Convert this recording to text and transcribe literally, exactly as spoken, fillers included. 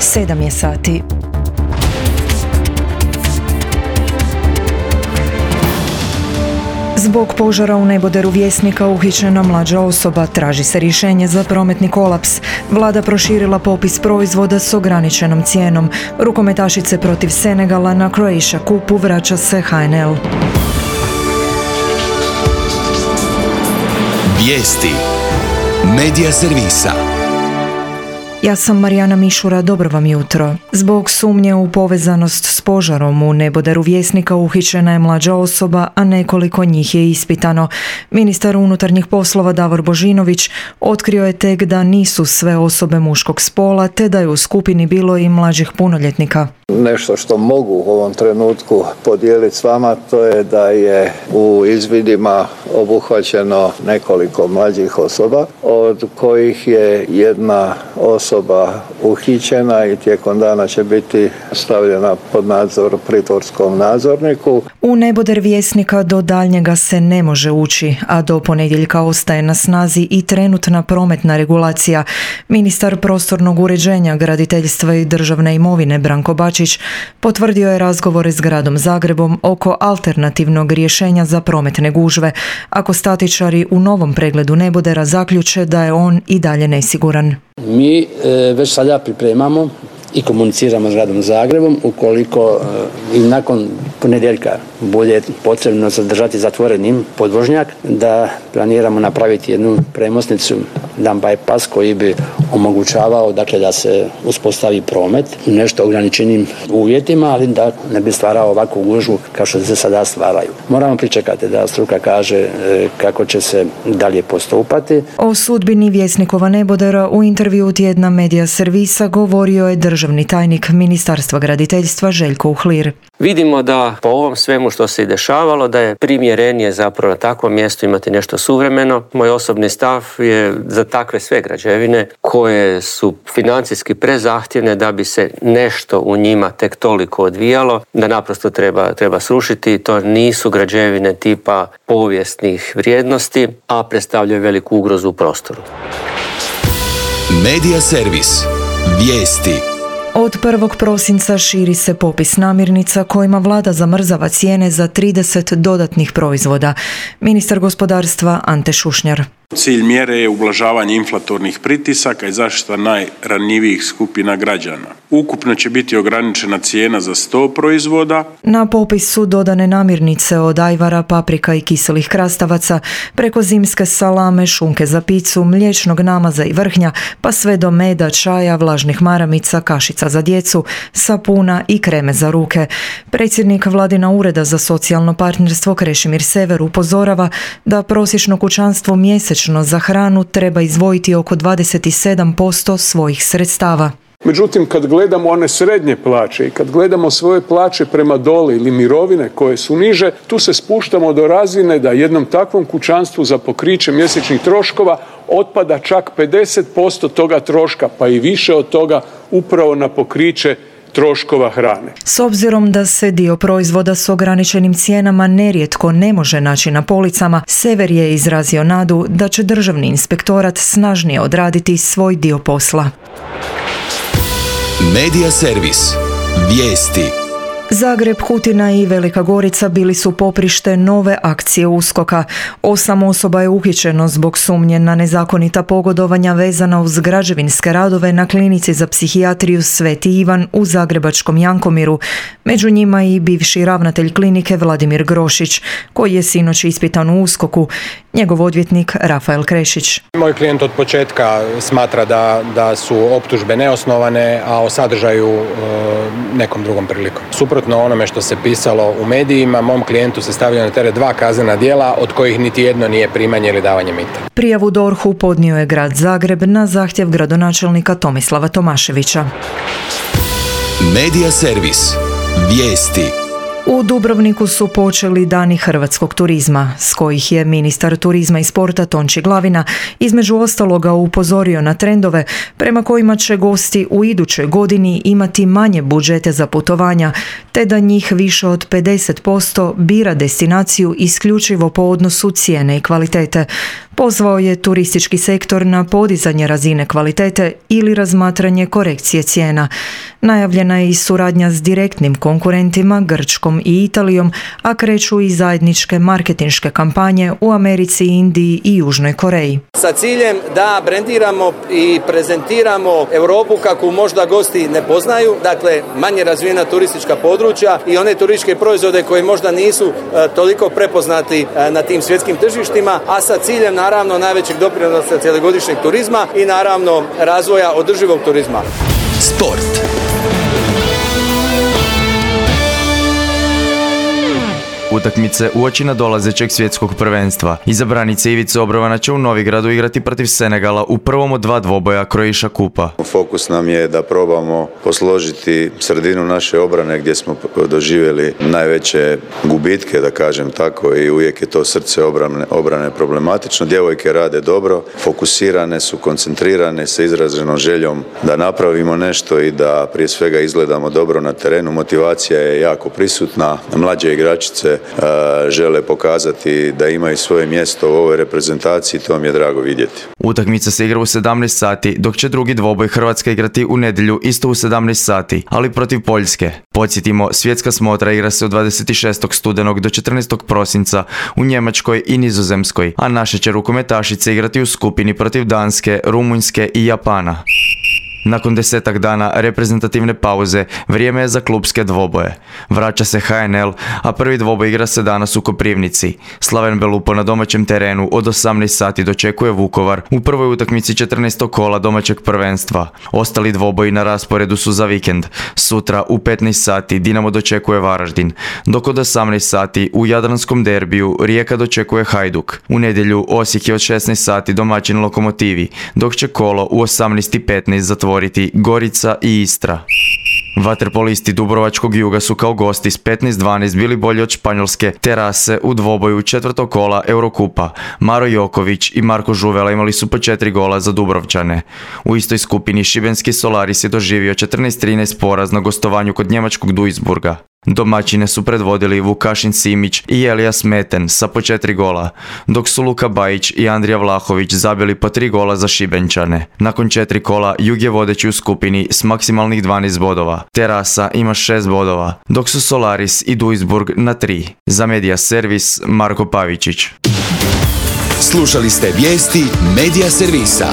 Sedam je sati. Zbog požara u neboderu Vjesnika uhićena mlađa osoba, traži se rješenje za prometni kolaps. Vlada proširila popis proizvoda s ograničenom cijenom. Rukometašice protiv Senegala na Croatia Cupu vraća se H N L. Vijesti Medija servisa. Ja sam Marijana Mišura, dobro vam jutro. Zbog sumnje u povezanost s požarom u neboderu Vjesnika uhićena je mlađa osoba, a nekoliko njih je ispitano. Ministar unutarnjih poslova Davor Božinović otkrio je tek da nisu sve osobe muškog spola, te da je u skupini bilo i mlađih punoljetnika. Nešto što mogu u ovom trenutku podijeliti s vama, to je da je u izvidima obuhvaćeno nekoliko mlađih osoba, od kojih je jedna osoba uhićena i tijekom dana će biti stavljena pod nadzor pritvorskom nadzorniku. U neboder Vjesnika do daljnjega se ne može ući, a do ponedjeljka ostaje na snazi i trenutna prometna regulacija. Ministar prostornog uređenja, graditeljstva i državne imovine Branko Bačić potvrdio je razgovore s gradom Zagrebom oko alternativnog rješenja za prometne gužve, ako statičari u novom pregledu nebodera zaključe da je on i dalje nesiguran. Mi e, već sada pripremamo i komuniciramo s gradom Zagrebom ukoliko e, i nakon ponedjeljka bude potrebno zadržati zatvorenim podvožnjak, da planiramo napraviti jednu premosnicu, jedan bypass koji bi omogućavao dakle, da se uspostavi promet u nešto ograničenim uvjetima, ali da ne bi stvarao ovakvu gužvu kao što se sada stvaraju. Moramo pričekati da struka kaže e, kako će se dalje postupati. O sudbini Vjesnikova nebodera u intervju tjedna Medija servisa govorio je državni tajnik Ministarstva graditeljstva Željko Uhlir. Vidimo da po ovom svemu što se i dešavalo, da je primjerenije zapravo na takvom mjestu imati nešto suvremeno. Moj osobni stav je za takve sve građevine koje su financijski prezahtjevne da bi se nešto u njima tek toliko odvijalo, da naprosto treba, treba srušiti. To nisu građevine tipa povijesnih vrijednosti, a predstavljaju veliku ugrozu u prostoru. Medija servis. Vijesti. Od prvog prosinca širi se popis namirnica kojima vlada zamrzava cijene za trideset dodatnih proizvoda. Ministar gospodarstva Ante Šušnjar. Cilj mjere je ublažavanje inflatornih pritisaka i zaštita najranjivijih skupina građana. Ukupno će biti ograničena cijena za sto proizvoda. Na popis su dodane namirnice od ajvara, paprika i kiselih krastavaca, preko zimske salame, šunke za picu, mliječnog namaza i vrhnja, pa sve do meda, čaja, vlažnih maramica, kašica za djecu, sapuna i kreme za ruke. Predsjednik Vladina ureda za socijalno partnerstvo Krešimir Sever upozorava da prosječno kućanstvo mjesečno za hranu treba izdvojiti oko dvadeset sedam posto svojih sredstava. Međutim, kad gledamo one srednje plaće i kad gledamo svoje plaće prema dole ili mirovine koje su niže, tu se spuštamo do razine da jednom takvom kućanstvu za pokriće mjesečnih troškova otpada čak pedeset posto toga troška, pa i više od toga upravo na pokriće troškova hrane. S obzirom da se dio proizvoda s ograničenim cijenama nerijetko ne može naći na policama, Sever je izrazio nadu da će državni inspektorat snažnije odraditi svoj dio posla. Medija servis. Vijesti. Zagreb, Kutina i Velika Gorica bili su poprište nove akcije USKOK-a. Osam osoba je uhićeno zbog sumnje na nezakonita pogodovanja vezana uz građevinske radove na klinici za psihijatriju Sveti Ivan u zagrebačkom Jankomiru. Među njima i bivši ravnatelj klinike Vladimir Grošić, koji je sinoć ispitan u USKOK-u. Njegov odvjetnik Rafael Krešić. Moj klijent od početka smatra da, da su optužbe neosnovane, a o sadržaju e, nekom drugom prilikom. Suprotno onome što se pisalo u medijima, mom klijentu se stavljaju na teret dva kaznena djela, od kojih niti jedno nije primanje ili davanje mita. Prijavu D O R H-u podnio je grad Zagreb na zahtjev gradonačelnika Tomislava Tomaševića. Medija servis. Vijesti. U Dubrovniku su počeli dani hrvatskog turizma, s kojih je ministar turizma i sporta Tonči Glavina između ostaloga upozorio na trendove prema kojima će gosti u idućoj godini imati manje budžete za putovanja, te da njih više od pedeset posto bira destinaciju isključivo po odnosu cijene i kvalitete. Pozvao je turistički sektor na podizanje razine kvalitete ili razmatranje korekcije cijena. Najavljena je i suradnja s direktnim konkurentima Grčkom i Italijom, a kreću i zajedničke marketinške kampanje u Americi, Indiji i Južnoj Koreji. Sa ciljem da brendiramo i prezentiramo Europu kako možda gosti ne poznaju, dakle manje razvijena turistička područja i one turističke proizvode koji možda nisu e, toliko prepoznati e, na tim svjetskim tržištima, a sa ciljem naravno najvećeg doprinosa cjelogodišnjeg turizma i naravno razvoja održivog turizma. Sport. Utakmice uoči nadolazećeg svjetskog prvenstva. Izabranica Ivice Obrovana će u Novigradu igrati protiv Senegala u prvom od dva dvoboja Croatia Kupa. Fokus nam je da probamo posložiti sredinu naše obrane gdje smo doživjeli najveće gubitke, da kažem tako, i uvijek je to srce obrane, obrane problematično. Djevojke rade dobro, fokusirane su, koncentrirane sa izraženom željom da napravimo nešto i da prije svega izgledamo dobro na terenu. Motivacija je jako prisutna, mlađe igračice žele pokazati da imaju svoje mjesto u ovoj reprezentaciji, to mi je drago vidjeti. Utakmica se igra u sedamnaest sati, dok će drugi dvoboj Hrvatska igrati u nedjelju isto u sedamnaest sati, ali protiv Poljske. Podsjetimo, svjetska smotra igra se od dvadeset šestog studenog do četrnaestog prosinca u Njemačkoj i Nizozemskoj, a naše će rukometašice igrati u skupini protiv Danske, Rumunjske i Japana. Nakon desetak dana reprezentativne pauze, vrijeme je za klubske dvoboje. Vraća se H N L, a prvi dvoboj igra se danas u Koprivnici. Slaven Belupo na domaćem terenu od osamnaest sati dočekuje Vukovar u prvoj utakmici četrnaestog kola domaćeg prvenstva. Ostali dvoboji na rasporedu su za vikend. Sutra u petnaest sati Dinamo dočekuje Varaždin, dok od osamnaest sati u jadranskom derbiju Rijeka dočekuje Hajduk. U nedjelju Osijek je od šesnaest sati domaćin Lokomotivi, dok će kolo u osamnaest i petnaest zatvoriti Gorica i Istra. Vaterpolisti Dubrovačkog Juga su kao gosti s petnaest dvanaest bili bolji od španjolske Terase u dvoboju četvrtog kola Eurokupa. Maro Joković i Marko Žuvela imali su po četiri gola za Dubrovčane. U istoj skupini šibenski Solaris je doživio četrnaest trinaest poraz na gostovanju kod njemačkog Duisburga. Domaćine su predvodili Vukašin Simić i Elijas Meten sa po četiri gola, dok su Luka Bajić i Andrija Vlahović zabili po tri gola za Šibenčane. Nakon četiri kola Jug je vodeći u skupini s maksimalnih dvanaest bodova. Terasa ima šest bodova, dok su Solaris i Duisburg na tri. Za Medija Servis Marko Pavičić. Slušali ste vijesti Medija Servisa.